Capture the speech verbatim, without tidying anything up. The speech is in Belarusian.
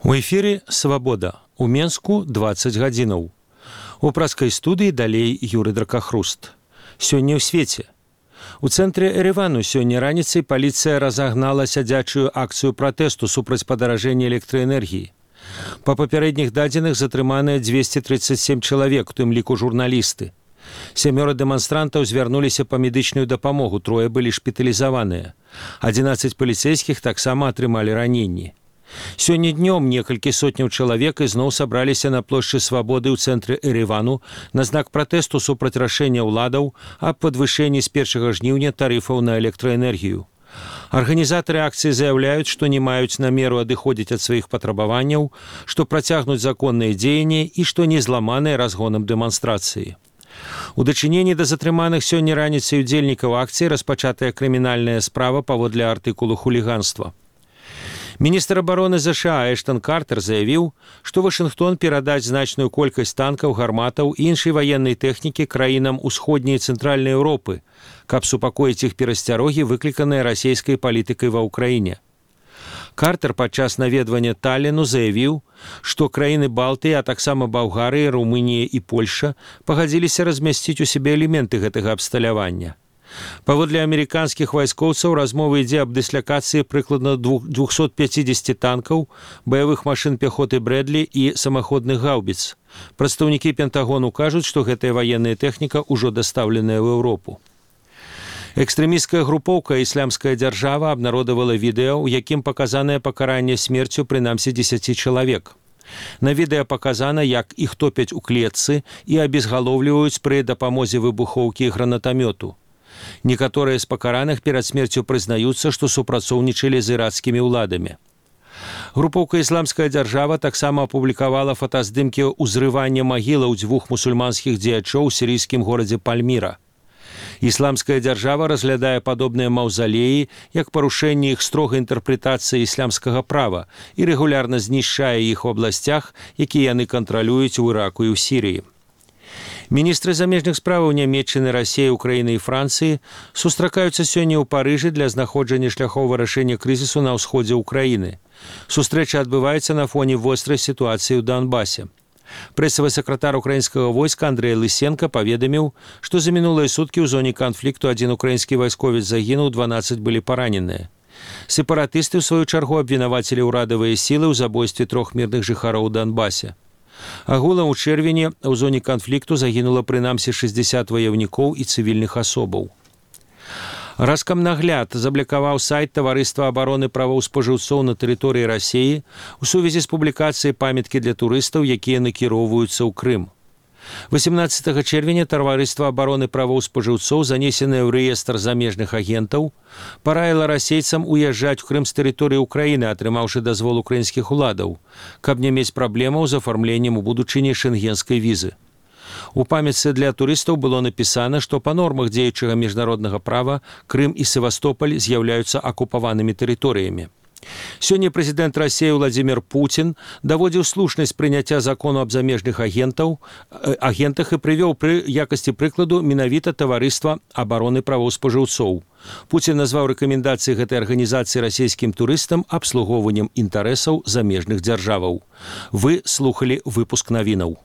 У эфіры «Свабода». У Менску дваццаць гадзінаў. У праскай студыі далей Юры Дракахруст. Сёння ў свеце. У цэнтры Еревану сёння раніцай паліцыя разагнала сядзячую акцыю пратэсту супраць падаражэння электраэнергіі. Па папярэдніх дадзеных затрыманыя дзвесце трыццаць сем чалавек, у тым ліку журналісты. Сямёра дэманстрантаў звярнуліся па медычную дапамогу, трое былі шпіталізаваныя. адзінаццаць паліцэйскіх таксама атрымалі раненні. Сёння днём некалькі сотняў чалавек ізноў сабраліся на плошчы Свабоды ў цэнтры Еревану на знак пратэсту супраць рашэння ўладаў аб падвышэнні з першага жніўня тарыфаў на электраэнергію. Арганізатары акцыі заяўляюць, што не маюць намеру адыходзіць ад сваіх патрабаванняў, што працягнуць законныя дзеянні і што не зламаныя разгонам дэманстрацыі. У дачыненні да затрыманых сёння раніцай удзельнікаў акцыі распачатая крымінальная справа паводле артыкулу хуліганства. Міністр абароны ЗША Эштон Картер заявіў, што Вашынгтон перадаць значную колькасць танкаў, гарматаў і іншай ваеннай тэхнікі краінам усходняй і цэнтральнай Еўропы, каб супакоіць іх перасцярогі, выкліканыя расійскай палітыкай ва ўкраіне. Картер падчас наведвання Талліну заявіў, што краіны Балтыі, а таксама Балгарыя, Румынія і Польша пагадзіліся размясціць у сябе элементы гэтага абсталявання. Паводле амерыканскіх вайскоўцаў размова ідзе аб дыслакацыі прыкладна двухсот пяцідзесяці танкаў, баявых машын пяхоты Брэдлі і самаходных гаўбіц. Прадстаўнікі Пентагону кажуць, што гэтая ваенная тэхніка ўжо дастаўленая ў Еўропу. Экстрэмісцкая групоўка «Іслямская дзяржава» абнародавала відэа, у якім паказанае пакаранне смерцю прынамсі дзесяці чалавек. На відэа паказана, як іх топяць у клетцы і абезгалоўліваюць пры дапамозе выбухоўкі і гранатамёту. Некаторыя з пакараных перад смерцю прызнаюцца, што супрацоўнічалі з ірацкімі ўладамі. Групоўка «Ісламская дзяржава» таксама апублікавала фотаздымкі ўзрывання магілаў дзвюх мусульманскіх дзеячоў у сірійскім горадзе Пальміра. Ісламская дзяржава разглядае падобныя маўзалеі як парушэнне іх строгай інтэрпрэтацыі іслямскага права і рэгулярна знішчае іх у абласцях, якія яны кантралююць у Іраку і ў Сірыі. Міністры замежных справаў Нямецчыны, Расіі, Украіны і Францыі сустракаюцца сёння ў Парыжы для знаходжання шляхоў вырашэння крызісу на ўсходзе ўкраіны. Сустрэча адбываецца на фоне вострай сітуацыі ў Донбасе. Прэсавы сакратар украінскага войска Андрэй Лысенка паведаміў, што за мінулыя суткі ў зоне канфлікту адзін украінскі вайсковец загінуў, дванаццаць былі параненыя. Сепаратысты, ў сваю чаргу, абвінавацілі ўрадавыя сілы ў забойстве трох мірных жыхароў у Донбасе. Агулам у чэрвені ў зоне канфлікту загінула прынамсі шэсцьдзесят ваяўнікоў і цывільных асобаў. Раскамнагляд заблікаваў сайт Таварыства абароны правоў спажыўцоў на тэрыторыі Расіі у сувязі з публікацыяй памяткі для турыстаў, якія накіроўваюцца ў Крым. восемнадцатага чэрвеня Таварыства абароны правоў спажыўцоў, занесенае ў рэестр замежных агентаў, параіла расейцам уязджаць у Крым з тэрыторыі ўкраіны, атрымаўшы дазвол украінскіх уладаў, каб не мець праблемаў з афармленнем у будучыні шэнгенскай візы. У памятцы для турыстаў было напісана, што па нормах дзеючага міжнароднага права Крым і Севастополь з'яўляюцца акупаванымі тэрыторыямі. Сёння прэзідэнт Расіі Владзімір Пуцін даводзіў слушнасць прыняцця закону аб замежных агентаў, агентах і прывёў пры якасці прыкладу менавіта Таварыства абароны правоў спажыўцоў. Пуцін назваў рэкамендацыі гэтай арганізацыі расійскім турыстам абслугоўваннем інтарэсаў замежных дзяржаваў. Вы слухалі выпуск навінаў.